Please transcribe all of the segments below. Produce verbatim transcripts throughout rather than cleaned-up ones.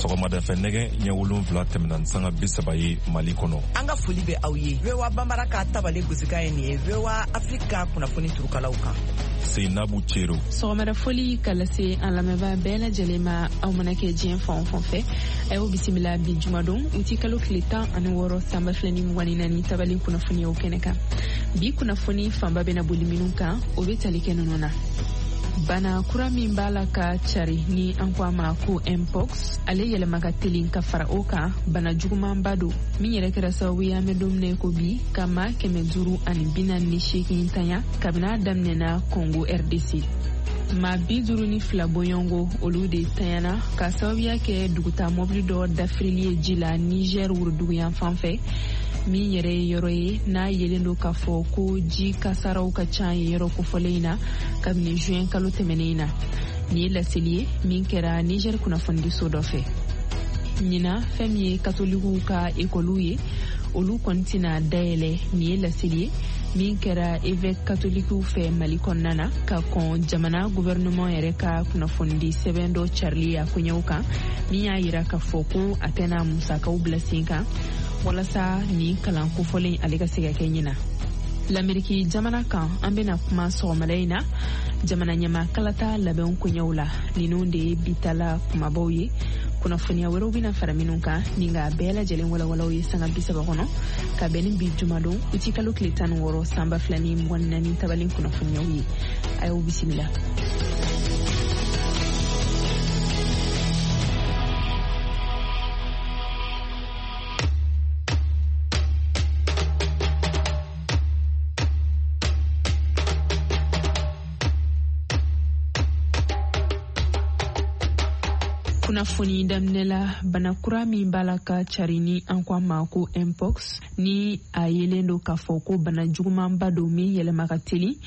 Sɔgɔmada fɛ nɛgɛ ɲɛ wolonfila tɛmɛna ni sanga bi saba ye Mali kɔnɔ. An ka foli bɛ aw ye. V O A Banbara ka tabale gosikan ye nin ye V O A Afrique ka kunnafoni turukalaw kan. Seinabu Cero. Sɔgɔmada foli ka lase an lamɛnbaa bɛɛ lajɛlen ma, aw mana kɛ diɲɛ fan o fan fɛ. A y'aw bisimila bi jumadon uti kalo tile tan ani wɔɔrɔ san ba fila ni mugan ni naani tabale kunnafoniyaw kɛnɛ kan. Bi kunnafoni fanba bɛna boli minnu kan, o bɛ tali kɛ ninnu na. Bana kura min b'a la ka cari ni an ko a ma ko mpox, ale yɛlɛma ka telin ka fara o kan bana jugumanba don min yɛrɛ kɛra sababu ye an bɛ don min na ko bi ka maa kɛmɛ duuru ani bi naani ni seegin tanya kabini a daminɛna Congo R D C. Maa bi duuru ni fila bɔɲɔgɔnko olu de tanyana ka sababuya kɛ duguta mɔbili dɔ dafirili ye ji la Niger woroduguyan fan fɛ, min yɛrɛ ye yɔrɔ ye n'a yelen don k'a fɔ ko ji kasaraw ka ca yen yɔrɔ kofɔlen in na kabini juin kalo tɛmɛnen in na. Nin ye laseli ye min kɛra Niger kunnafonidiso dɔ fɛ. Ɲinan fɛn min ye katolikiw ka ekɔliw ye, olu kɔni tɛna dayɛlɛ. Nin ye laseli ye min kɛra évêque katolikiw fɛ Mali kɔnɔna na ka kɔn jamana gouvernement yɛrɛ ka kunnafonidi sɛbɛn dɔ carili a koɲɛw kan, min y'a yira k'a fɔ ko a tɛna musakaw bila sen kan walasa nin kalan kofɔlen ale ka se ka kɛ ɲina. Lameriki jamana kan, an bɛna kuma sɔgɔmada in na jamana ɲɛmaa kalata labɛnw koɲɛw la. Ninnu de ye bitala kumabaw ye. Kunnafoniya wɛrɛw bɛna fara minnu kan ni nka bɛɛ lajɛlen walawalaw ye sanga bi saba kɔnɔ ka bɛn ni bi jumadon uti kalo tile tan ni wɔɔrɔ san ba fila ni mugan ni naani tabalen kunnafoniyaw ye. A y'aw bisimila. Kunnafoni daminɛ la, bana kura min b'a la ka cari ni an ko a ma ko mpox, ni a yelen don k'a fɔ ko bana jugumanba don min yɛlɛma ka teli,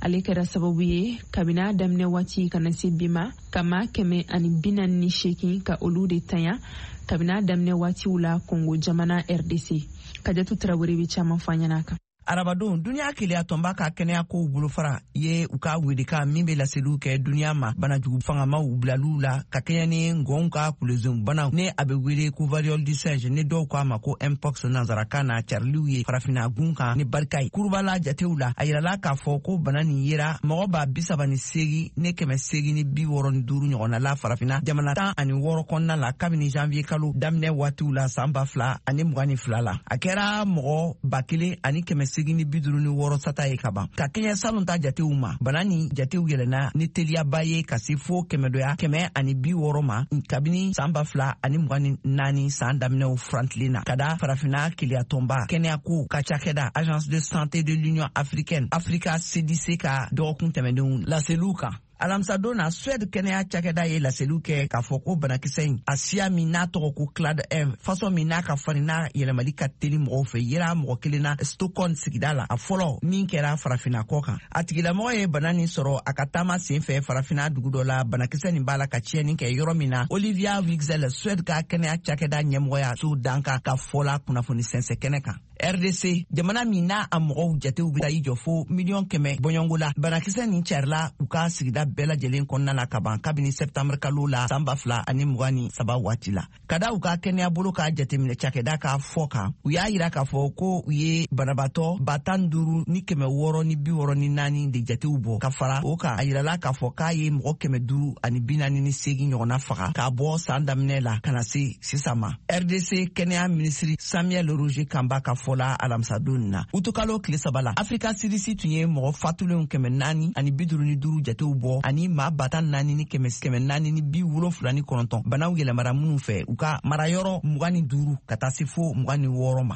ale kɛra sababu ye kabini a daminɛ waati ka na se bi ma ka maa kɛmɛ ani bi naani ni seegin ka olu de tanya kabini a daminɛ waatiw la Congo jamana R D C. Kajatu Tarawele bɛ caman fɔ an ɲɛna a kan. Arabadon, duniya keleya tɔnba ka kɛnɛya kow bolofara ye u ka welekan min bɛ laseliw kɛ duniya ma banajugu fangamaw bilaliw la ka kɛɲɛ ni ngɔnw ka kulezon banaw ni a bɛ wele ko variole du singe ni dɔw ko a ma ko mpox nanzarakan na cariliw ye farafinna gun kan ni barika ye. Kurubala jatew la, a yirala k'a fɔ ko bana nin yera mɔgɔ ba bi saba ni seegin ni kɛmɛ seegin ni bi wɔɔrɔ ni duuru ɲɔgɔnna la farafinna jamana tan ani wɔɔrɔ kɔnɔna la kabini janvier kalo daminɛ waatiw la san ba fila ani mugan ni fila la. A kɛra mɔgɔ ba kelen ani kɛmɛ seegin ni bi duuru ni wɔɔrɔ sata ye ka ban. Ka kɛɲɛ salon ta jatew ma, bana ni jatew yɛlɛnna ni teliyaba ye ka se fo kɛmɛdoya kɛmɛ ani bi wɔɔrɔ ma kabini san ba fila ani mugan ni naani san daminɛw furantilen na ka da farafinna keleyatɔnba kɛnɛyako ka cakɛda Agence de santé de l'Union africaine Africa C D C ka dɔgɔkun tɛmɛnenw laseliw kan. Alamisadon na, Suède kɛnɛya cakɛda ye laseliw kɛ k'a fɔ ko banakisɛ in a siya min n'a tɔgɔ ko clade un, fasɔn min n'a ka farin n'a yɛlɛmali ka teli mɔgɔw fɛ, yera mɔgɔ kelen na Stockholm sigida la, a fɔlɔ min kɛra farafinna kɔ kan. A tigilamɔgɔ ye bana nin sɔrɔ a ka taama sen fɛ farafinna dugu dɔ la, banakisɛ nin b'a la ka tiɲɛni kɛ yɔrɔ min na. Olivia Wigzell, Suède ka kɛnɛya cakɛda ɲɛmɔgɔya so dankan ka fɔ la kunnafoni sɛnsɛn kɛnɛ kan. R D C, jamana min n'a a mɔgɔw jatew bɛ taa i jɔ fo miliyɔn kɛmɛ bɔɲɔgɔnko la, banakisɛ nin carila u ka sigida bɛɛ lajɛlen kɔnɔna la ka ban kabini septembre kalo la san ba fila ani mugan ni saba waati la. Ka da u ka kɛnɛya bolo ka jateminɛ cakɛda ka fɔ kan, u y'a yira k'a fɔ ko u ye banabaatɔ ba tan duuru ni kɛmɛ wɔɔrɔ ni bi wɔɔrɔ ni naani de jatew bɔ. Ka fara o kan, a yirala k'a fɔ k'a ye mɔgɔ kɛmɛ duuru ani bi naani ni seegin ɲɔgɔnna faga k'a bɔ san daminɛ la ka na se sisan ma. R D C kɛnɛya minisiri Samuel Roger Kamba ka fɔ la alamisadon na, utukalo tile saba la, Africa C D C tun ye mɔgɔ fatulenw kɛmɛ naani ani bi duuru ni duuru jatew bɔ ani maa ba tan naani ni kɛmɛ kɛmɛ naani ni bi wolonfila ni kɔnɔntɔn banaw yɛlɛmara minnu fɛ u ka marayɔrɔ mugan ni duuru ka taa se fo mugan ni wɔɔrɔ ma.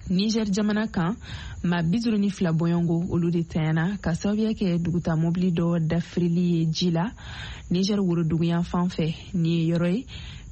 Niger jamana kan, maa bi duuru ni fila bɔɲɔgɔnko olu de tanyana ka sababuya kɛ duguta mɔbili dɔ dafirili ye ji la Niger woroduguyan fan fɛ. Nin ye yɔrɔ ye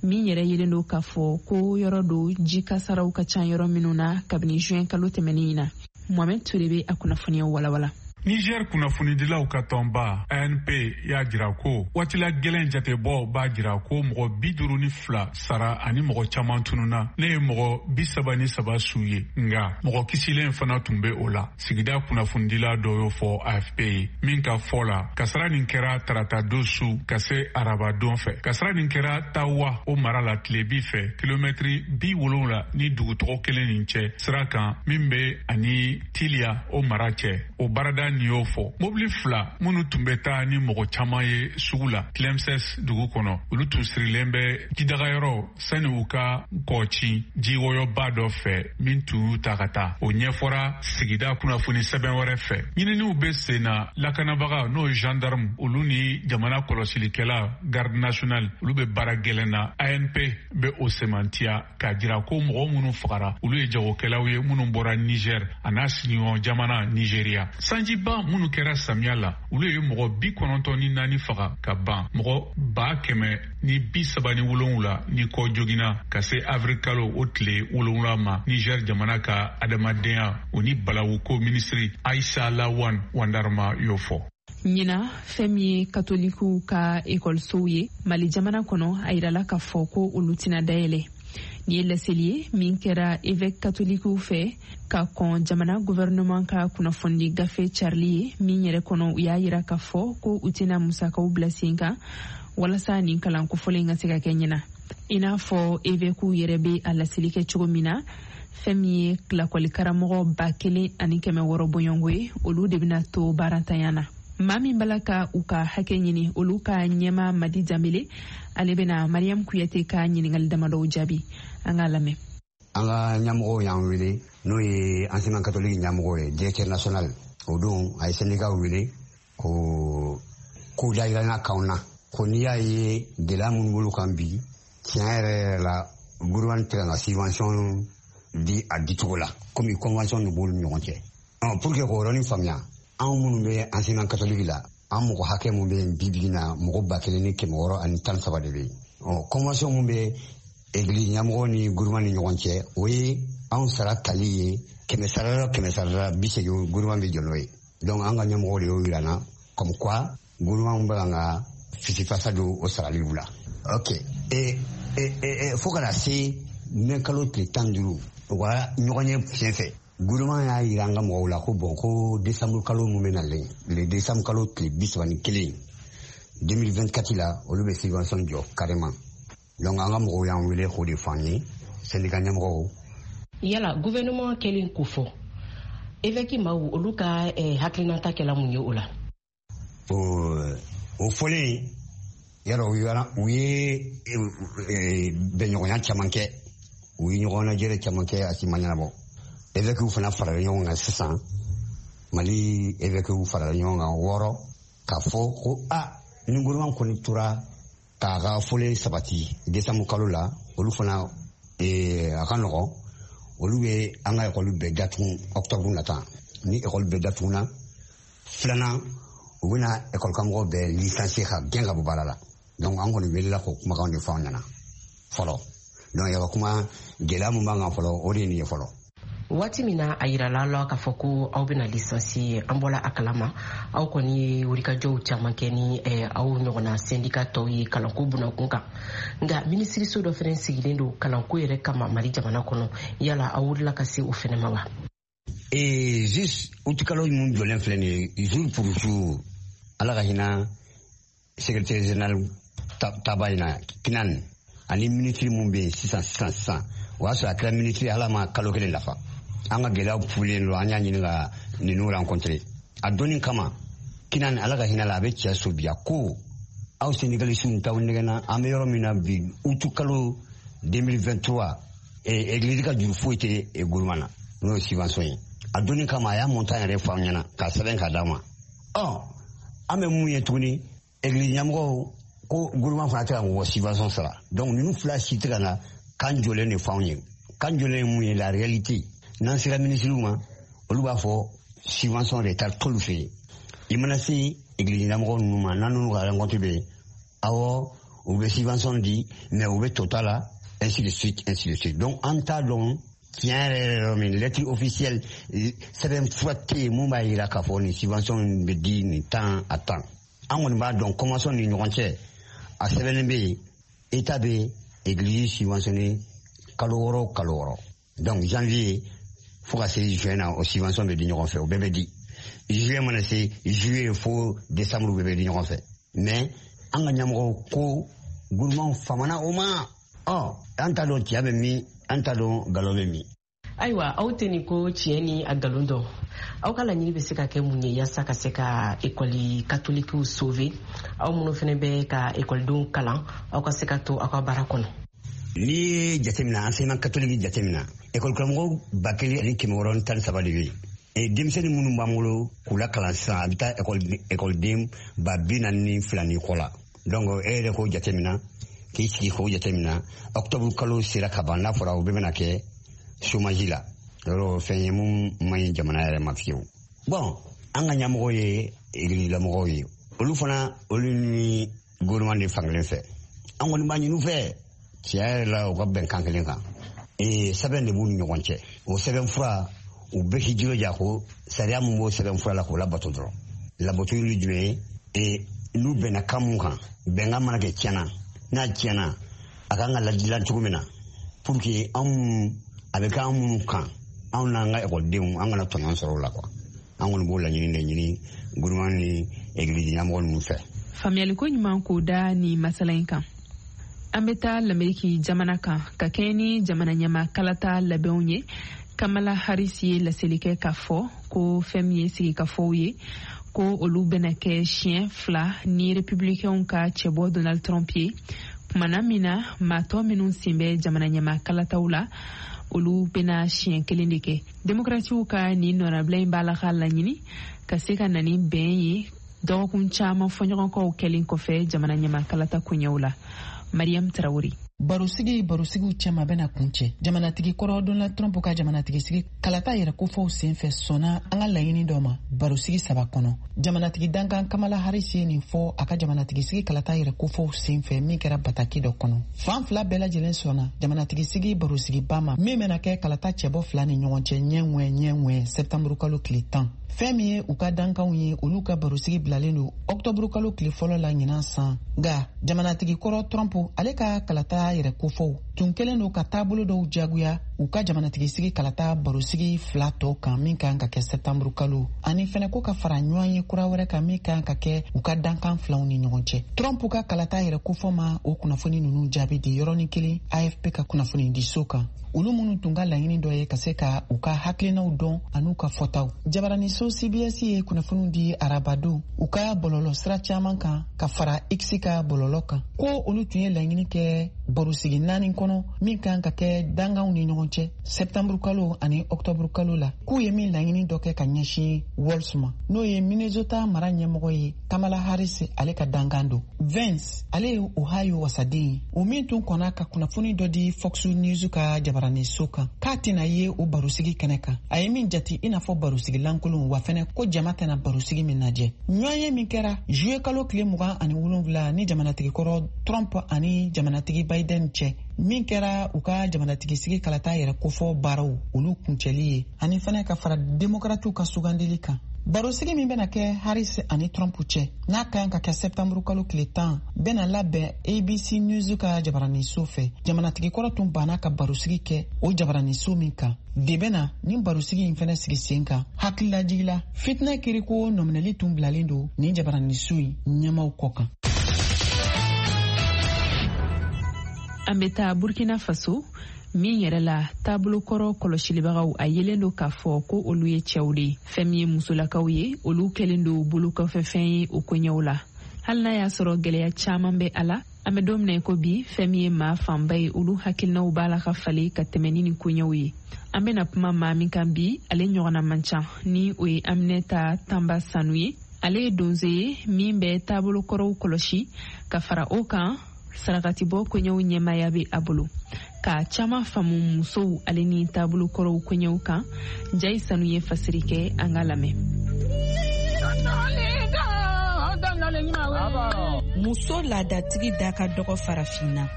min yɛrɛ yelen don k'a fɔ ko yɔrɔ don ji kasaraw ka ca yɔrɔ minnu na kabini juin kalo tɛmɛnen in na. Mohamed Touré bɛ a kunnafoniyaw walawala. Niger kunnafonidilaw ka tɔnba A N P y'a jira ko waatila gɛlɛn jatebɔ b'a jira ko mɔgɔ bi duuru ni fila sara ani mɔgɔ caman tununa, ne ye mɔgɔ bi saba ni saba su ye, nga mɔgɔ kisilen fana tun bɛ o la. Sigida kunnafonidila dɔ y'o fɔ A F P ye min ka fɔ la, kasara nin kɛra tarata don su ka se araba don fɛ. Kasara nin kɛra Tawa, o mara la tilebi fɛ, kilomɛtiri bi wolonwula ni dugu tɔgɔ kelen nin cɛ, sira kan min bɛ ani Tiliya, o mara cɛ. O baarada nin y'o fɔ. Mobili fila minnu tun bɛ taa ni mɔgɔ caman ye sugu la Tlemces dugu kɔnɔ, olu tun sirilen bɛ jidagayɔrɔ sani u ka kɔci jiwɔyɔba dɔ fɛ min tun y'u ta ka taa. O ɲɛfɔra sigida kunnafoni sɛbɛn wɛrɛ fɛ. Ɲininiw bɛ sen na. Lakanabaga, n'o ye gendarme, olu ni jamana kɔlɔsilikɛla, garde nationale, olu bɛ baara gɛlɛn na. A N P bɛ o sɛmɛntiya k'a jira ko mɔgɔ minnu fagara, olu ye jagokɛlaw ye minnu bɔra Niger a n'a sigiɲɔgɔn jamana Nigeria. Sanjiba minnu kɛra samiya la, olu ye mɔgɔ bi kɔnɔntɔn ni naani faga ka ban, mɔgɔ ba kɛmɛ ni bi saba ni wolonwula ni kɔ joginna ka se avril kalo o tile wolonwula ma. Niger jamana ka adamadenya o ni balawuko minisiri Aisa Lawan Wandarma y'o fɔ. Ɲina, fɛn min ye katolikiw ka ekɔlisow ye Mali jamana kɔnɔ, a yirala k'a fɔ ko olu tɛna dayɛlɛ. Nin ye laseli ye min kɛra évêque katolikiw fɛ ka kɔn jamana gouvernement ka kunnafonidi gafe carili ye, min yɛrɛ kɔnɔ u y'a yira k'a fɔ ko u tɛna musakaw bila sen kan walasa nin kalan kofɔlen ka se ka kɛ ɲina. I n'a fɔ évêquew yɛrɛ bɛ a laseli kɛ cogo min na, fɛn min ye lakɔlikaramɔgɔ ba kelen ani kɛmɛ wɔɔrɔ bɔɲɔgɔnko ye, olu de bɛna to baarantanya na. Maa min bala ka u ka hakɛ ɲini, olu ka ɲɛma Madi Danbele, ale bɛna Mariam Kuyate ka ɲiningali damadɔw jaabi. An k'a lamɛn. An ka ɲɛmɔgɔw y'an wele, n'o ye enseignement catholique ɲɛmɔgɔ ye, directeur national. O don a ye syndicat wele ko ko dayirana kanw na ko n'i y'a ye gɛlɛya minnu b'olu kan bi, tiɲɛ yɛrɛ yɛrɛ la, gouvernement tɛ ka subvention di a dicogo la, komi convention de b'olu ni ɲɔgɔn cɛ. Pour que k'o yɔrɔnin faamuya, anw minnu bɛ enseignement catholique la, an mɔgɔ hakɛ mun bɛ yen bi bi in na, mɔgɔ ba kelen ni kɛmɛ wɔɔrɔ ani tan saba de bɛ yen. Ɔ convention mun bɛ église ɲɛmɔgɔ ni gouvernement ni ɲɔgɔn cɛ, o ye anw sara tali ye kɛmɛ sara la, kɛmɛ sara la bi seegin, gouvernement bɛ jɔ n'o ye. Donc an ka ɲɛmɔgɔ de y'o yira n na, comme quoi gouvernement bɛ kan ka fisifasa don o saraliw la. Ok, e e e fo ka na se mɛ kalo tile tan duuru, u ka ɲɔgɔn ye fiɲɛ fɛ, gouvernement y'a yira an ka mɔgɔw la ko bon, ko décembre kalo mun bɛ nalen, le décembre kalo tile bi saba ni kelen deux mille vingt-quatre la, olu bɛ subvention jɔ carrément. Donc an ka mɔgɔw y'an wele k'o de fɔ an ye, syndicat ɲɛmɔgɔw. Yala gouvernement kɛlen k'o fɔ, évêque maaw olu ka eh, hakilinata kɛla mun ye o la? O fɔlen yala, u ye bɛnɲɔgɔnya caman kɛ, u ye ɲɔgɔn lajɛrɛ caman kɛ, a si ma ɲɛnabɔ. Évêques fana farala ɲɔgɔn kan sisan, Mali évêques farala ɲɔgɔn kan wɔɔrɔ k'a fɔ ko a ni gouvernement kɔni tora k'a ka fɔlen sabati décembre kalo la, olu fana a ka nɔgɔn, olu bɛ an ka ekɔli bɛɛ datugu octobre nata. Ni ekɔli bɛɛ datuguna, filanan, u bɛna ekɔli karamɔgɔ bɛɛ licencier ka gɛn ka bɔ baara la. Donc an kɔni welela k'o kumakanw de fɔ an ɲɛna fɔlɔ. Donc yaba kuma gɛlɛya mun b'an kan fɔlɔ, o de ye nin ye fɔlɔ. Waati min na a yirala la k'a fɔ ko aw bɛna licencier, an bɔla a kalama, aw kɔni ye wulikajɔw caman kɛ ni aw ɲɔgɔnna syndicat tɔw ye kalanko bunakun kan. Nka minisiriso dɔ fɛnɛ sigilen don kalanko yɛrɛ kama Mali jamana kɔnɔ. Yala aw wulila ka se o fɛnɛ ma wa? Ee, juste utikalo mun jɔlen filɛ nin ye, jour pour jour, Ala ka hinɛ secrétaire général taba in na Kinan ani ministre mun bɛ yen sisan sisan sisan, o y'a sɔrɔ a kɛra ministre, ala ma kalo kelen dafa. An ka gɛlɛyaw fulen don, an y'a ɲini ka ninnu rencontrer a donni kama. Kinan, Ala ka hinɛ la, a bɛ cɛ so bi. A ko aw syndicalistes t'aw nɛgɛnna, an bɛ yɔrɔ min na bi, utu kalo deux mille vingt-trois, église ka juru foyi tɛ gouvernement na, n'o ye subvention ye. A donni kama, a y'a montant yɛrɛ fɔ an ɲɛna k'a sɛbɛn k'a d'a ma. Ɔ an bɛ mun ye tuguni? Église ɲɛmɔgɔw ko gouvernement fana tɛ ka mɔgɔ subvention sara. Donc ninnu fila si tɛ ka na kan jɔlen de fɔ anw ye. Kan jɔlen ye mun ye? La réalité, n'an sera minisiriw ma, olu b'a fɔ subvention de taa t'olu fɛ yen. I mana se église ɲɛmɔgɔ ninnu ma, n'an n'olu ka rencontre bɛ yen, awɔ, u bɛ subvention di, mais u bɛ tota la, ainsi de suite, ainsi de suite. Donc an t'a dɔn. Tiɲɛ yɛrɛ yɛrɛ min lettre officielle sɛbɛn fura tɛ yen mun b'a yira k'a fɔ nin subvention bɛ di nin tan a tan. An kɔni b'a dɔn convention ni ɲɔgɔn cɛ, a sɛbɛnnen bɛ yen, État bɛ église subventionné kalo wɔɔrɔ kalo wɔɔrɔ. Donc janvier fo ka se juin na, o subvention bɛ di ɲɔgɔn fɛ, o bɛɛ bɛ di. Juillet mana se, juillet fo décembre bɛɛ bɛ di ɲɔgɔn fɛ. Mais an ka ɲɛmɔgɔw ko gouvernement famana o ma. Ɔ an t'a dɔn tiɲɛ bɛ min, an t'a dɔn nkalon bɛ min. Ayiwa, aw tɛ nin ko tiɲɛ ni a nkalon dɔn. Aw ka laɲini bɛ se ka kɛ mun ye yaasa ka se ka ekɔli katolikiw sauver, aw minnu fana bɛ ka ekɔlidenw kalan, aw ka se ka to aw ka baara kɔnɔ? N'i ye jateminɛ, enseignement catholique jateminɛ, ekɔli karamɔgɔ ba kelen ani kɛmɛ wɔɔrɔ ni tan ni saba de bɛ yen. Denmisɛnnin minnu b'an bolo k'u lakalan sisan, a bɛ taa ekɔliden ba bi naani ni fila ni kɔ la. Donc e yɛrɛ k'o jateminɛ, k'i sigi k'o jateminɛ, octobre kalo sera ka ban, n'a fɔra o bɛɛ bɛna kɛ chômage la. Yɔrɔ fɛn ye mun man ɲi jamana yɛrɛ ma fiyewu. Bon, an ka ɲɛmɔgɔw ye église-lamɔgɔw ye, olu fana olu ni gouvernement de fankelen fɛ. An kɔni b'a ɲini u fɛ tiɲɛ yɛrɛ la, u ka bɛn kan kelen kan. Ee sɛbɛn de b'u ni ɲɔgɔn cɛ, o sɛbɛn fura u bɛɛ k'i jilaja ko sariya mun b'o sɛbɛn fura la k'o labato dɔrɔn. Labato ye jumɛn ye? Ee n'u bɛnna kan mun kan, bɛnkan mana kɛ tiɲɛna, n'a tiɲɛna a kan ka ladilan cogo min na pour que anw a bɛ kɛ an minnu kan, anw n'an ka ekɔlidenw an kana tɔɲɔgɔn sɔrɔ o la quoi. An kɔni b'o laɲini de ɲini gouvernement ni église ɲɛmɔgɔ ninnu fɛ. Faamuyaliko ɲuman k'o da ni masala in kan. An bɛ taa Lameriki jamana kan ka kɛɲɛ ni jamana ɲɛmaa kalata labɛnw ye. Kamala Harris ye laseli kɛ k'a fɔ ko fɛn min ye sigikafɔw ye, ko olu bɛna kɛ siɲɛ fila ni republicainw ka cɛbɔ Donald Trump ye, kumana min na maa tɔ minnu sen bɛ jamana ɲɛmaa kalataw la, olu bɛna siɲɛ kelen de kɛ. Demokratiw ka nin nɔnabila in b'a la ka laɲini ka se ka na ni bɛn ye dɔgɔkun caman fɔɲɔgɔnkɔw kɛlen kɔfɛ jamana ɲɛmaa kalata koɲɛw la. Mariam Traoré. Barosigi barosigiw cɛma bɛna kuncɛ. Jamanatigi kɔrɔ Donald Trump ka jamanatigisigi kalata yɛrɛ kofɔw senfɛ sɔnna an ka laɲini dɔ ma barosigi saba kɔnɔ. Jamanatigi dankan Kamala Harris ye nin fɔ a ka jamanatigisigi kalata yɛrɛ kofɔw senfɛ min kɛra bataki dɔ kɔnɔ. Fan fila bɛɛ lajɛlen sɔnna jamanatigisigi barosigiba ma min bɛna kɛ kalata cɛbɔ fila ni ɲɔgɔn cɛ ɲɛ ŋwɛ ɲɛ ŋwɛ sɛptanburu kalo tile tan. Fɛn min ye u ka dankanw ye, olu ka barosigi bilalen don ɔktɔburu kalo tile fɔlɔ la ɲinan san. Nka jamanatigi kɔrɔ Trump ale ka kalata yɛrɛ kofɔw tun kɛlen don ka taabolo dɔw jagoya u ka jamanatigisigi kalata barosigi fila tɔ kan min kan ka kɛ sɛptanburu kalo, ani fɛnɛ ko ka fara ɲɔgɔn ye kura wɛrɛ kan min kan ka kɛ u ka dankan filaw ni ɲɔgɔn cɛ. Trump ka kalata yɛrɛ kofɔ ma o kunnafoni ninnu jaabi di yɔrɔnin kelen A F P ka kunnafoni di so kan, olu minnu tun ka laɲini dɔ ye ka se ka u ka hakilinaw dɔn an'u ka fɔtaw. Jabaraniso C B S ye kunnafoniw di arabadon u ka bɔlɔlɔ sira caman kan ka fara X ka bɔlɔlɔ kan, ko olu tun ye laɲini kɛ barosigi naani kɔnɔ min kan ka kɛ danganw ni ɲɔgɔn cɛ sɛptanburu kalo ani ɔktɔburu kalo la, k'u ye min laɲini dɔ kɛ ka ɲɛsin Walz ma, n'o ye Minnesota mara ɲɛmɔgɔ ye Kamala Harris ale ka dankan don. Vance ale ye Ohio wasaden ye, o min tun kɔnna ka kunnafoni dɔ di Fox News ka jabaraniso kan k'a tɛna ye o barosigi kɛnɛ kan, a ye min jate i n'a fɔ barosigi lankolon, wa fɛnɛ ko jama tɛna barosigi min lajɛ. Ɲɔgɔnye min kɛra juillet kalo tile mugan ani wolonwula ni jamanatigi kɔrɔ Trump ani jamanatigi Biden cɛ, min kɛra u ka jamanatigisigi kalata yɛrɛ kofɔ baaraw olu kuncɛli ye, ani fɛnɛ ka fara demokratiw ka sugandili kan. Barosigi min bɛna kɛ Harris ani Trump cɛ n'a ka kan ka kɛ sɛptanburu kalo tile tan bɛna labɛn A B C News ka jabaraniso fɛ. Jamanatigi kɔrɔ tun banna ka barosigi kɛ o jabaraniso min kan de bɛna nin barosigi in fɛnɛ sigi sen kan. Hakililajigi la, fitinɛ kiriko nɔminɛli tun bilalen don nin jabaraniso in ɲɛmaw kɔ kan. An bɛ taa Burkina Faso min yɛrɛ la taabolokɔrɔ kɔlɔsilibagaw a yelen don k'a fɔ ko olu ye cɛw de ye. Fɛn min ye musolakaw ye, olu kɛlen don bolokɔfɛfɛn ye o koɲɛw la. Hali n'a y'a sɔrɔ gɛlɛya caman bɛ a la, an bɛ don min na i ko bi, fɛn min ye maa fanba ye, olu hakilinaw b'a la ka falen ka tɛmɛ ni nin koɲɛw ye. An bɛna kuma maa min kan bi, ale ɲɔgɔnna man ca, ni o ye Aminata Tanba Sanu ye. Ale ye donso ye min bɛ taabolokɔrɔw kɔlɔsi ka fara o kan sarakatibɔ koɲɛw ɲɛmaaya bɛ a bolo, ka caman faamu musow ale ni taabolokɔrɔw koɲɛw kan. Jayi Sanu ye fasiri kɛ, an ka lamɛn. Muso laadatigi da ka dɔgɔ farafinna.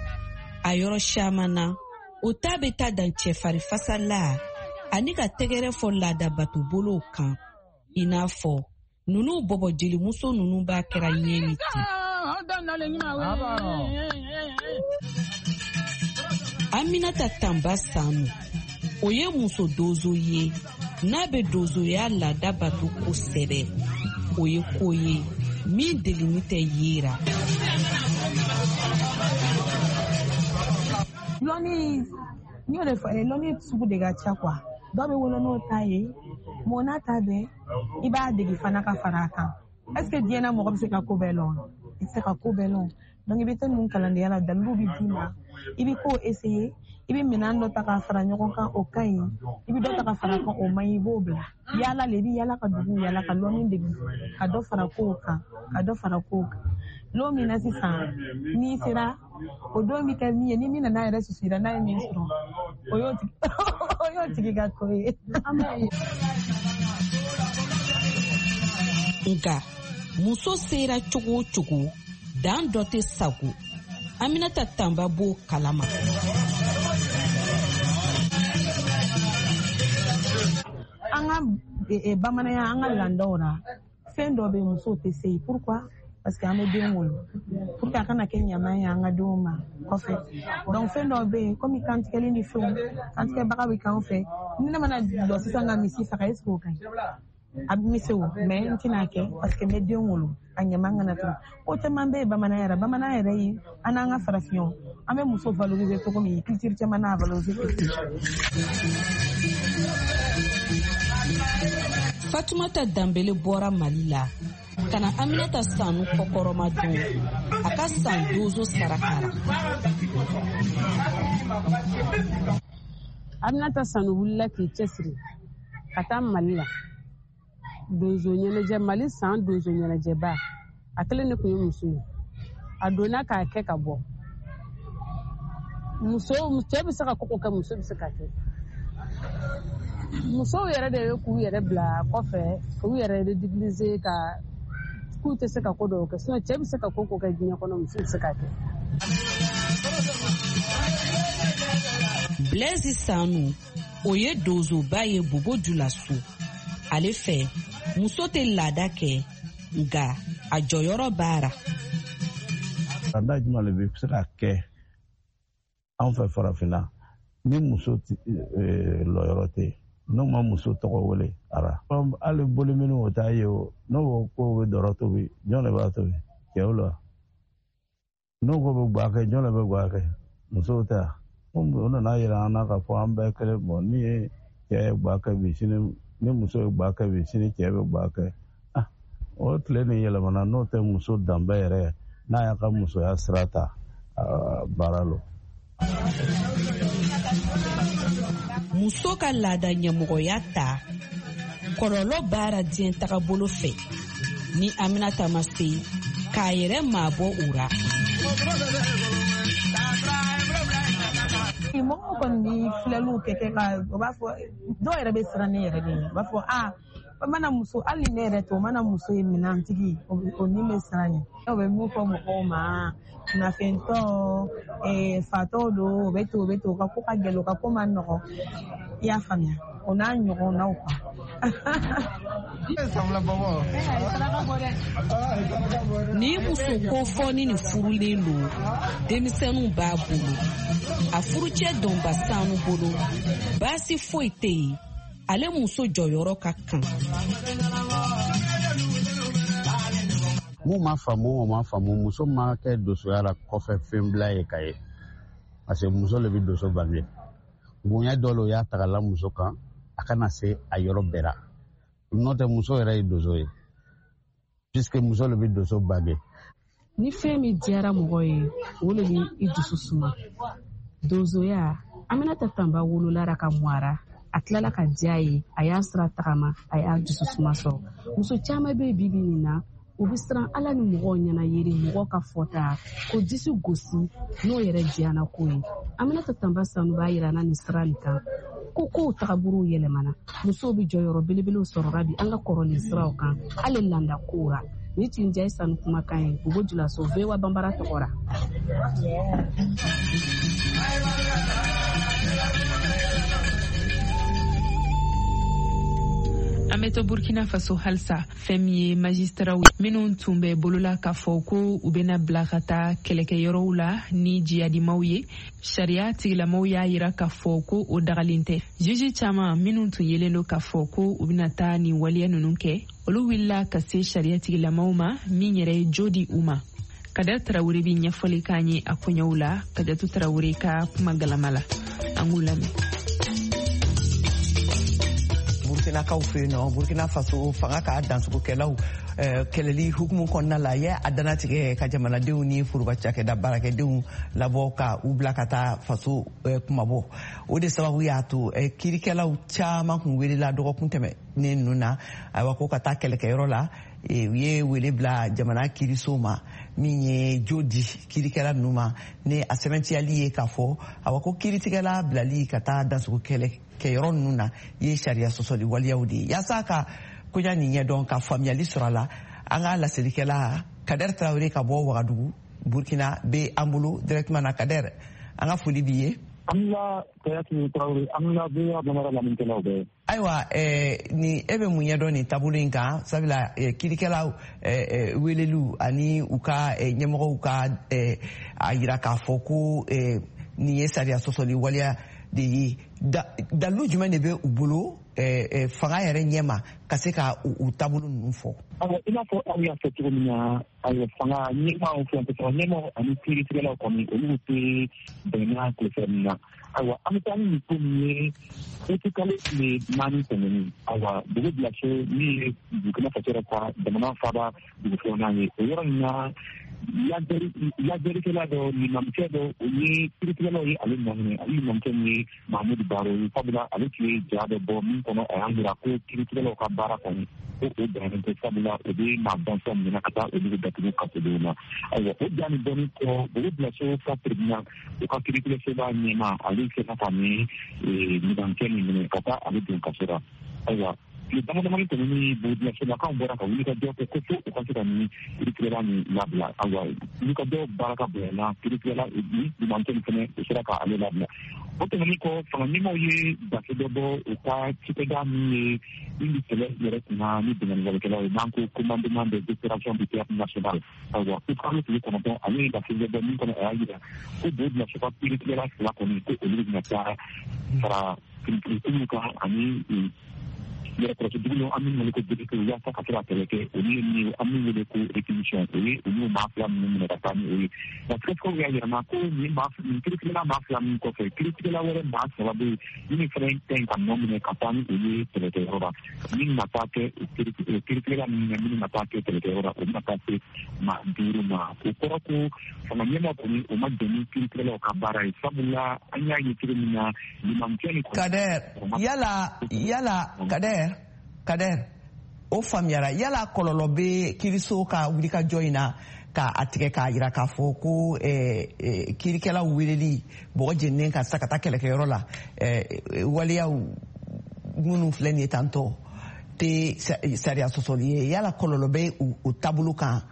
A yɔrɔ caman na, O ta bɛ taa dan cɛfarifasa la ani ka tɛgɛrɛ fɔ laadabatobolow kan, i n'a fɔ nunu bɔbɔ jelimuso nunu b'a kɛra ɲɛ ni ten. Aminata Tanba Sanu, o ye muso dozo ye n'a bɛ dozoya laada bato kosɛbɛ. O ye ko ye min delini tɛ yera. Lɔnni, n y'o de fɔ, lɔnni sugu de ka ca quoi. Dɔw bɛ wolo n'o ta ye, mɔgɔ n'a ta bɛɛ, i b'a dege fana ka fara a kan. Est ce que diɲɛ na mɔgɔ bɛ se ka ko bɛɛ lɔn? I tɛ se ka ko bɛɛ lɔn. Donc i bɛ taa ninnu kalandenya la, daliluw bɛ d'i ma, i bɛ ko essayer, i bɛ minɛn dɔ ta k'a fara ɲɔgɔn kan, o ka ɲi, i bɛ dɔ ta ka fara kan, o man ɲi, i b'o bila. Yaala le, i bɛ yaala ka dugu yaala ka lɔnni dege, ka dɔ fara kow kan, ka dɔ fara kow kan. Lon min na sisan, n'i sera, o don bɛ kɛ min ye, ni min nana yɛrɛ susu i la, n'a ye min sɔrɔ, o y'o tigi o y'o tigi ka ko ye. Nka muso sera cogo o cogo, dan dɔ tɛ sago. Aminata Tanba b'o kalama. An ka bamananya, an ka laadaw la, fɛn dɔ bɛ musow tɛ se yen. Pourquoi? Parce que an bɛ den wolo, pour que a kana kɛ ɲama ye an ka denw ma kɔfɛ. Donc fɛn dɔw bɛ yen, komi kantigɛli ni fɛnw, kantigɛbaga bɛ k'an fɛ. Ni ne mana lɔ sisan ka misi faga, est ce que o ka ɲi? A bɛ se o, mais n tɛna kɛ parce que n bɛ den wolo, a ɲama kana to. Ko caman bɛ yen bamananya yɛrɛ, bamananya yɛrɛ ye an n'an ka farafinw, an bɛ muso valoriser cogo min, culture caman n'a valoriser. Fatumata Danbele bɔra Mali la ka na Aminata Sanu kɔkɔrɔma don a ka san dozo saraka la. Aminata Sanu wulila k'i cɛsiri ka taa Mali la. Donso ɲɛnajɛ, Mali san donso ɲɛnajɛba, a kelen de tun ye muso ye. A donna k'a kɛ ka bɔ. Muso, cɛ bɛ se ka koko kɛ, muso bɛ se ka kɛ. Musow yɛrɛ de ye k'u yɛrɛ bila kɔfɛ, k'u yɛrɛ ridiculiser, ka k'u tɛ se ka ko dɔw kɛ. Sinon cɛ bɛ se ka ko ko kɛ diɲɛ kɔnɔ, muso bɛ se ka kɛ. Blaise Sanu, o ye donsoba ye Bobo Julaso. Ale fɛ, muso tɛ laada kɛ, nka a jɔyɔrɔ b'a ra. Laada jumɛn de bɛ se ka kɛ anw fɛ farafinna ni muso lɔyɔrɔ tɛ yen, n'o ma muso tɔgɔ wele ara? Hali boli minnu o t'a ye o, n'o ko k'o bɛ dɔrɔ tobi, jɔn de b'a tobi? Cɛw la. N'o ko bɛ guwa kɛ, jɔn de bɛ guwa kɛ? Musow tɛ yan. O nana yira an na k'a fɔ an bɛɛ kelen. Bɔn, ni ye cɛ ye guwa kɛ bi, sini ni muso ye guwa kɛ bi, sini cɛ bɛ guwa kɛ. O tile nin yɛlɛmana, n'o tɛ muso danbe yɛrɛ, n'a y'a ka musoya sira ta, baara lo. Muso ka laada ɲɛmɔgɔya ta, kɔlɔlɔ baara diɲɛ tagabolo fɛ, ni Aminata ma se k'a yɛrɛ maabɔ o ra. Mɔgɔw kɔni bɛ filɛliw kɛ kɛ ka, o b'a fɔ dɔw yɛrɛ bɛ siran ne yɛrɛ de ye, u b'a fɔ aa, o mana muso, hali ni ne yɛrɛ tɛ, o mana muso ye minɛntigi, o ni bɛ siran ɲɛ. O bɛ mun fɔ mɔgɔw ma, nafɛntɔ, fatɔ don, o bɛ ten, o bɛ ten, o ka ko ka gɛlɛn, o ka ko man nɔgɔn. I y'a faamuya, o n'a ɲɔgɔnnaw quoi. Ni muso kofɔni nin furulen don, denmisɛnninw b'a bolo. A furucɛ Dɔnba Sanu bolo, baasi foyi tɛ yen, ale muso jɔyɔrɔ ka kan. Mun ma faamu, o ma faamu, muso ma kɛ donsoya la kɔfɛ fɛn bila ye ka ye. Parce que muso le bɛ donso bange. Bonya dɔ le o y'a ta ka la muso kan, a kana se a yɔrɔ bɛɛ la. N'o tɛ muso yɛrɛ ye donso ye. Puisque muso le bɛ donso bange. Ni fɛn min diyara mɔgɔ ye, o le bɛ i dusu suma. Donsoya, Aminata Tanba wolola ka mɔ a tilala ka diya ye, a y'a sira tagama, a y'a dusu suma sɔrɔ. Muso caman bɛ bi bi nin na, u bɛ siran Ala ni mɔgɔw ɲɛna yeri, mɔgɔw ka fɔta ko disi gosi n'o yɛrɛ diyana ko ye. Aminata Tanba Sanu b'a yira na nin sira nin kan ko kow tagabolow yɛlɛmana, musow bɛ jɔyɔrɔ belebelew sɔrɔra bi an ka kɔrɔlen siraw kan, hali landa kow ra. Ni tun diya Sanu kumakan ye, Bobo Julaso, V O A Banbara tɔgɔ ra. An bɛ to Burkina Faso halisa. Fɛn min ye magistaraw minnu tun bɛ bolola k'a fɔ ko u bɛna bila ka taa kɛlɛkɛyɔrɔw la ni jihadimaw ye, sariya tigilamaw y'a yira k'a fɔ ko o dagalen tɛ. Juge caman minnu tun yelen don k'a fɔ ko u bɛna taa nin waleya ninnu kɛ, olu wulila ka se sariya tigilamaw ma min yɛrɛ ye jo di u ma. Kader Tarawele bɛ ɲɛfɔli k'an ye a koɲɛw la. Kadatu Tarawele ka kuma galama la, an k'u lamɛn. Burkinakaw fɛ yen nɔ, Burkina Faso fanga ka dansogokɛlaw kɛlɛli hukumu kɔnɔna la ye a dannatigɛ ka jamanadenw ni foroba cakɛda baarakɛdenw labɔ ka u bila ka taa faso kumabɔ. O de sababu y'a to kiirikɛlaw caman kun welela dɔgɔkun tɛmɛnen ninnu na, ayiwa, ko ka taa kɛlɛkɛyɔrɔ la. U ye wele bila jamana kiiriso ma min ye jo di kiirikɛla ninnu ma ni a sɛbɛntiyali ye k'a fɔ awa ko kiiritigɛla bilali ka taa dansogo kɛlɛ kɛyɔrɔ ninnu na ye sariya sɔsɔli waleyaw de ye. Yaasa ka koɲa nin ɲɛdɔn ka faamuyali sɔrɔ a la, an ka laselikɛla Kader Tarawele ka bɔ Wagadugu Burkina bɛ an bolo directement na. Kader, an ka foli b'i ye. An la Kayatu Tarawele, an la V O A Bambara lamɛnnikɛlaw bɛɛ. Ayiwa, eh, ni e bɛ mun ɲɛdɔn nin taabolo in kan? Sabula eh, kiirikɛlaw eh, weleliw ani u ka eh, ɲɛmɔgɔw ka eh, a yira k'a fɔ ko eh, nin ye sariya sɔsɔli waleya de ye, dalilu jumɛn de bɛ u bolo eh, eh, fanga yɛrɛ ɲɛma ka se ka u taabolo ninnu fɔ? Ayiwa, i n'a fɔ aw y'a fɔ cogo min na, ayiwa, fanga ɲɛmaaw, furancɛ ɲɛmaaw ani kiiritigɛlaw kɔni, olu tɛ bɛnna tilefɛ min na. Ayiwa, an bɛ taa ni nin ko min ye, utikalo tile naani tɛmɛnen, ayiwa, dugu bilaso min ye Burkina Faso yɛrɛ ka jamana faaba dugu filanan ye, o yɔrɔ in na, lajɛlikɛla dɔ, limamukɛ dɔ, o ye kiiritigɛlaw ye ale nɔ minɛ. Ale limamukɛ min ye Mahamudu Baro ye, sabula ale tun ye ja dɔ bɔ min kɔnɔ a y'an yira ko kiiritigɛlaw ka baara kɔni ko o bɛnnen tɛ, sabula o bɛ maa bɔnsɔn minɛ ka taa olu datugu kasodenw na. Ayiwa, o ja nin bɔlen kɔ, Bobo Bilaso ka tribunal, o ka kiiritigɛsoba ɲɛmaa, ale sera ka nin limamukɛ nin minɛ ka taa ale don kaso la. Ayiwa, tile dama damani tɛmɛnen, Bobo Bilasolakaw bɔra ka wuli ka jɔ kɛ ko fo u ka se ka nin kiiritigɛla nin labila. Ayiwa, wuli ka jɔ baara ka bonyana, kiiritigɛla ni limamukɛ nin fɛnɛ, o sera ka ale labila. O tɛmɛnen kɔ, fanga ɲɛmaaw ye gafe dɔ bɔ u ka cikɛda min ye min bɛ kɛlɛ yɛrɛ kunna ni binkanniwalekɛlaw ye, n'an ko commandement des opérations du théâtre national. Ayiwa, ko kalo tile kɔnɔntɔn, ale ye gafe dɔ bɔ min kɔnɔ a y'a yira ko Bobo Bilaso ka kiiritigɛla fila kɔni, ko olu bɛna taa fara kirikiriw kan ani yɛrɛkɔrɔsi dugu la, an min wele ko B D P, yaasa ka se ka kɛlɛ kɛ. Olu ye min ye, an min wele ko réquisition, o ye olu maa fila minnu minɛ ka taa ni o ye. Nka sɛgɛsɛgɛliw y'a yira ko nin maa nin kiiritigɛla maa fila min kɔfɛ, kiiritigɛla wɛrɛ maa saba bɛ yen minnu fana ka ɲi ka nɔ minɛ ka taa ni olu ye kɛlɛkɛyɔrɔ la. Min na taa kɛ kiiritigɛla minnu na, minnu na taa kɛ kɛlɛkɛyɔrɔ la, o bɛna taa se maa duuru ma. O kɔrɔ ko fanga ɲɛmaa kɔni, o ma jɛn ni kiiritigɛlaw ka baara ye, sabula an y'a ye cogo min na, limamukɛ ni. Kader, yala yala Kader Kader, o faamuyara. Yala kɔlɔlɔ bɛ kiiriso ka wulikajɔ in na ka a tigɛ k'a yira k'a fɔ ko eh, eh, kiirikɛlaw weleli bɔgɔ jeninen ka sa ka taa kɛlɛkɛyɔrɔ la, eh, waleyaw minnu filɛ nin ye tantɔ tɛ sariya sɔsɔli ye, yala kɔlɔlɔ bɛ o taabolo kan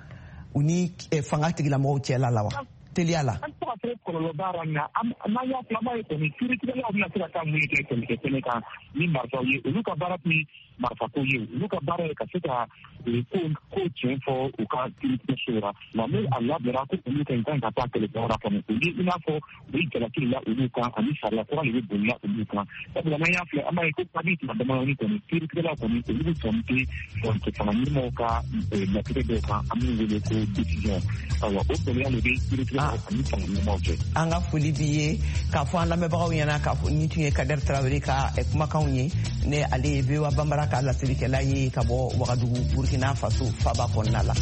u ni fanga tigilamɔgɔw cɛla la wa? Teliya la. An tɛ ka se kɔlɔlɔ b'a la, nka n'an y'a fila ye kɔni, kiiritigɛlaw bɛna se ka taa mun kɛ kɛlɛkɛ kɛnɛ kan ni marifaw ye? Olu ka baara tɛ marifako ye, olu ka baara ye ka se ka ko ko tiɲɛ fɔ u ka kiiritigɛso la. Nka n'o a labɛnna ko olu ka ɲi ka taa kɛlɛkɛyɔrɔ la kɔni, o ye i n'a fɔ u ye jalaki la olu kan, ani sariya kura de bɛ bolila olu kan. Sabula n'an y'a filɛ, an b'a ye ko kabi tuma damadɔni kɔni, kiiritigɛlaw kɔni, olu bɛ sɔn tɛ furancɛ fanga ɲɛmɔgɔw ka latigɛ dɔw kan, an b'u wele ko décision. Ayiwa, o gɛlɛya de bɛ kiiritigɛlaw ani fanga ɲɛmɔgɔw cɛ. An ka foli b'i ye k'a fɔ an lamɛnbagaw ɲɛna k'a fɔ nin tun ye Kader Tarawele ka kumakanw ye, ne ale ye V O A Bambara ka laselikɛla ye ka bɔ Wagadugu, Burkina Faso faba kɔnɔna la.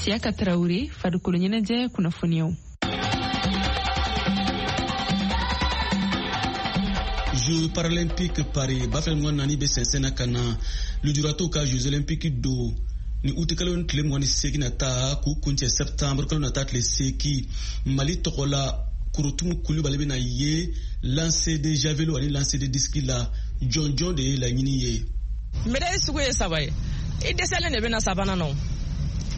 Siyaka Tarawele, farikolo ɲɛnajɛ kunnafoniyaw. Jeux paralympiques Paris ba fila mugan naani bɛ sɛnsɛn na ka na. Lujuratɔw ka Jeux olympiques don ni utikalo tile mugan ni seegin na taa k'u kuncɛ septembre kalo nata tile seegin. Mali tɔgɔ la, Korotumu Kulubali bɛna ye lancer de javelot ani lancer de disque la. Jɔnjɔn de ye laɲini ye. Médaille sugu ye saba ye. I dɛsɛlen de bɛna sabanan na.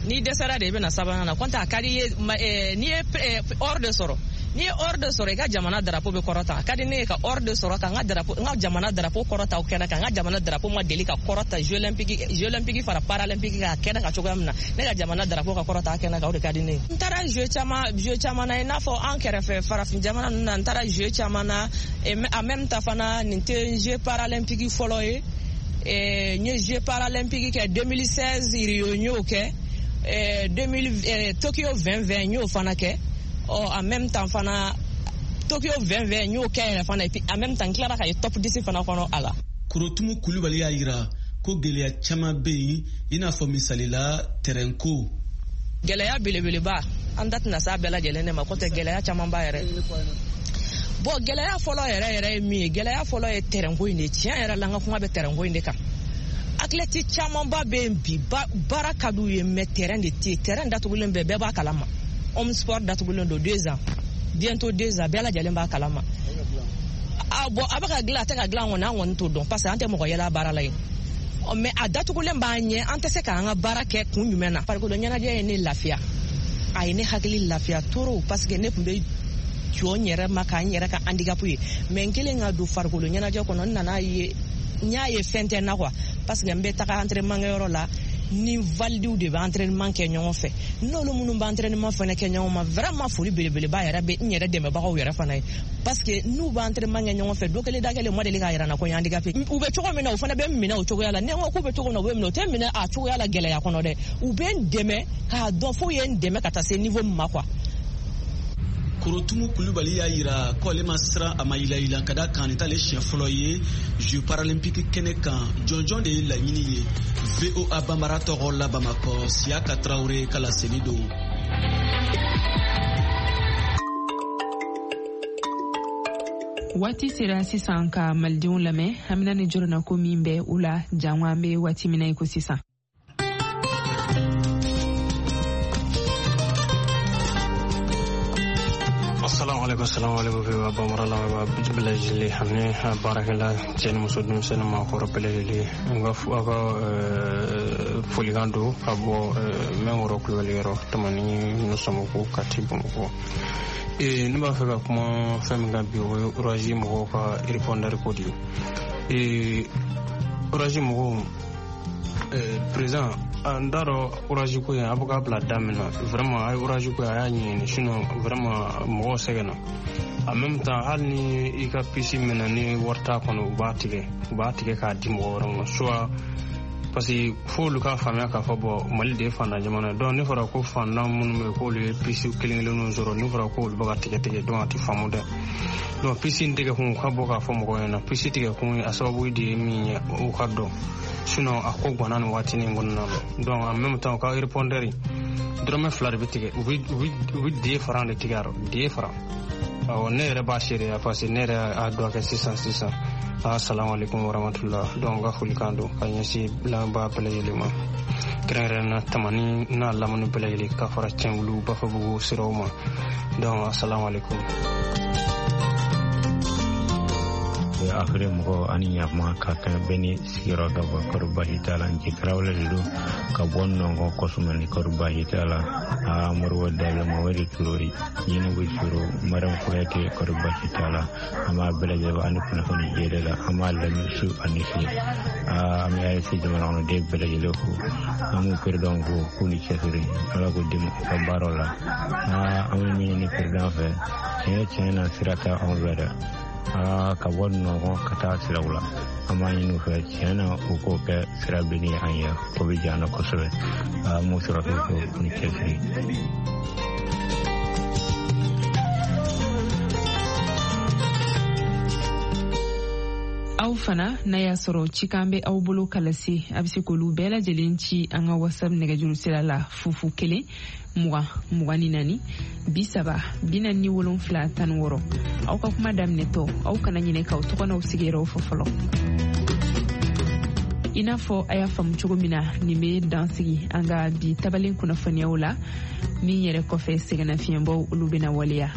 N'i dɛsɛra de, i bɛna sabanan na. Kɔntɛ a ka di i ye, n'i ye or de sɔrɔ, N'i ye or de sɔrɔ, i ka jamana drapeau bɛ kɔrɔta. A ka di ne ye ka or de sɔrɔ ka n ka drapeau, n ka jamana drapeau kɔrɔta o kɛnɛ kan. N ka jamana drapeau ma deli ka kɔrɔta Jeux olympiques, Jeux olympiques fara paralympique kan kɛnɛ kan cogoya min na, ne ka jamana drapeau ka kɔrɔta a kɛnɛ kan, o de ka di ne ye. N taara jeux caman, jeux caman na, i n'a fɔ an kɛrɛfɛ farafin jamana ninnu na, n taara jeux caman na. En même temps fana, nin tɛ jeux paralympique fɔlɔ ye. N ye jeux paralympique kɛ deux mille seize Rio, n y'o kɛ. deux mille Tokyo vingt vingt, n y'o fana kɛ. Ɔ en même temps fana, Tokyo vingt vingt n y'o kɛ yɛrɛ fana, et puis en même temps n tilara ka ye top dix fana kɔnɔ a la. Korotumu Kulubali y'a yira ko gɛlɛya caman bɛ yen, i n'a fɔ misali la terrain ko. Gɛlɛya belebeleba, an da tɛna s'a bɛɛ lajɛlen de ma, k'o tɛ gɛlɛya caman ba yɛrɛ. Bon, gɛlɛya fɔlɔ yɛrɛ yɛrɛ ye min ye, gɛlɛya fɔlɔ ye terrain ko in de. Tiɲɛ yɛrɛ la, n ka kuma bɛ terrain ko in de kan. Athlète camanba bɛ yen bi, baara ka d'u ye, mais terrain de tɛ yen. Terrain datugulen bɛɛ, bɛɛ b'a kalama. Homme sport datugulen don deux ans, bientôt deux ans, bɛɛ lajɛlen b'a kalama. A bon, a bɛ ka dilan, a tɛ ka dilan kɔni, an kɔni t'o dɔn, parce que an tɛ mɔgɔ yɛlɛ a baara la yen. Mais a datugulen b'an ɲɛ, an tɛ se k'an ka baara kɛ kun jumɛn na. Farikolo ɲɛnajɛ ye ne lafiya, a ye ne hakili lafiya trop, parce que ne tun bɛ jɔ n yɛrɛ ma k'an yɛrɛ ka handicap ye. Mais n kelen ka don farikolo ɲɛnajɛ kɔnɔ, n nana ye, n y'a ye fɛn tɛ n na quoi, parce que n bɛ taga entraînement kɛyɔrɔ la, ni validiw de bɛ entraînement kɛ ɲɔgɔn fɛ. N'olu minnu bɛ entraînement fana kɛ ɲɔgɔn ma, vraiment foli belebeleba yɛrɛ bɛ n yɛrɛ dɛmɛbagaw yɛrɛ fana ye, parce que n'u bɛ entraînement kɛ ɲɔgɔn fɛ, dɔ kelen da kelen ma deli k'a yira n na ko n ye handicapé. U bɛ cogo min na, u fana bɛ n minɛ o cogoya la. Ni n ko k'u bɛ cogo min na, u bɛ minɛ, u tɛ minɛ a cogoya la gɛlɛya kɔnɔ dɛ, u bɛ n dɛmɛ k'a dɔn f'u ye n dɛmɛ ka taa se niveau min ma quoi. Korotumu Kulubali y'a yira ko ale ma siran, a ma yilayila, ka da kan nin t'ale siɲɛ fɔlɔ ye Jeux paralympiques kɛnɛ kan. Jɔnjɔn de ye laɲini ye. V O A Banbara tɔgɔ la Bamakɔ, Siyaka Tarawele ka laseli don. Waati sera sisan ka malidenw lamɛn hamina ni jɔrɔnako min bɛ u la jango an bɛ waati min na i ko sisan. Assalamu alaikum, assalamu alaikum V O A Bambara lamɛnbaa bɛɛ lajɛlen ani baarakɛla cɛ ni muso, denmisɛnnin maakɔrɔ bɛɛ lajɛlen. N ka aw ka folikan don ka bɔ Mɛnkɔrɔ Kulubali yɔrɔ Tamani Samako Kati Bamakɔ. Ee ne b'a fɛ ka kuma fɛn min kan bi, o ye Orazi mɔgɔw ka répondeur ko de ye. Ee Orazi mɔgɔw, président, n t'a dɔn Orazi ko in a bɛ k'a bila da min na, vraiment a ye Orazi ko in a y'a ɲɛɲini, sinon vraiment mɔgɔw sɛgɛnna. En même temps, hali ni i ka puce minɛ ni wari t'a kɔnɔ, u b'a tigɛ, u b'a tigɛ k'a di mɔgɔ wɛrɛ ma, soit parce que f'olu k'a faamuya k'a fɔ bɔn Mali de ye fantan jamana ye. Donc ne fɔra ko fantan minnu bɛ yen k'olu ye puce kelen kelenninw sɔrɔ, ne fɔra k'olu bɛ ka tigɛ tigɛ, donc a tɛ faamu dɛ. Donc puce in tigɛ kun, u ka bɔ k'a fɔ mɔgɔw ɲɛna puce tigɛ kun a sababu de ye min ye, u ka dɔn, sinon a ko ganna nin waatinin kɔnɔna na. Donc en même temps, u ka répondeur dɔrɔmɛ fila de bɛ tigɛ, u bɛ u bɛ den faran de tigɛ a rɔ, den faran. Awɔ, ne yɛrɛ b'a seereya parce que ne yɛrɛ y'a dɔn kɛ sisan sisan. Assalamu alaikum warahmatullah. Donc ka folikan don ka ɲɛsin lamɛnbaa bɛɛ lajɛlen ma, kɛrɛnkɛrɛnnenya Tamani n'a lamini bɛɛ lajɛlen, ka fara Cɛnwulu Bafabugu siraw ma. Donc assalamu alaikum. Afiri mɔgɔ ani ɲakuma ka kan bɛɛ ni sigiyɔrɔ ka bɔ kɔri baasi t'a la. Nci tarawele de don ka bɔ nɔngɔn kɔsumani, kɔri baasi t'a la. Aa Moribo Dabila Mamadu Ture Ɲinibu Curo Mariam Kuyate, kɔri baasi t'a la. An b'a bɛɛ lajɛlen ani kunnafoni jɛlen la, an b'a lamɛn su ani tile. Aa an bɛ A E S jamana kɔnɔden bɛɛ lajɛlen fo, an b'u peredanw fo k'u ni cɛsiri, Ala k'u dɛmɛ u ka baaraw la. Aa an bɛ min ɲini peredan fɛ, tiɲɛ tiɲɛ na sira tɛ anw fɛ dɛ. Aa ka bɔ nɔgɔn ka taa siraw la, an b'a ɲini u fɛ tiɲɛ na u k'o kɛ sira bilenni ye an ye, o bɛ diya an na kosɛbɛ. Aa m'o sɔrɔ k'u fo ni cɛsiri. Aw fana n'a y'a sɔrɔ cikan bɛ aw bolo ka lase, a bɛ se k'olu bɛɛ lajɛlen ci an ka WhatsApp nɛgɛjuru sira la fufu kelen mugan mugan ni naani bi saba bi naani ni wolonfila tan ni wɔɔrɔ. Aw ka kuma daminɛtɔ, aw kana ɲinɛ k'aw tɔgɔ n'aw sigiyɔrɔw fɔ fɔlɔ. I n'a fɔ a y'a faamu cogo min na, nin bɛ dan sigi an ka bi tabalen kunnafoniyaw la. Min yɛrɛ kɔfɛ, sɛgɛnnafiɲɛbɔw olu bɛna waleya.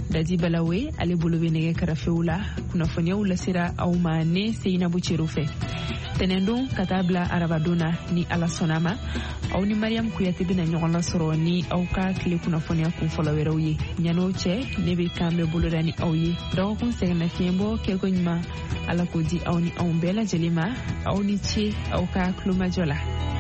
Dadi Balawe ale bolo bɛ nɛgɛ karafew la. Kunnafoniyaw lasera aw ma ne Seyinabu Cero fɛ. Tɛnɛndon ka taa bila arabadon na, ni Ala sɔnna ma, aw ni Mariam Kuyate bɛna ɲɔgɔn lasɔrɔ ni aw ka tile kunnafoniya kunfɔlɔ wɛrɛw ye. Ɲan'o cɛ, ne bɛ kan bɛ boloda ni aw ye. Dɔgɔkun sɛgɛnnafiɲɛbɔ kɛko ɲuman, Ala k'o di aw ni anw bɛɛ lajɛlen ma. Aw ni ce aw ka tulomajɔ la.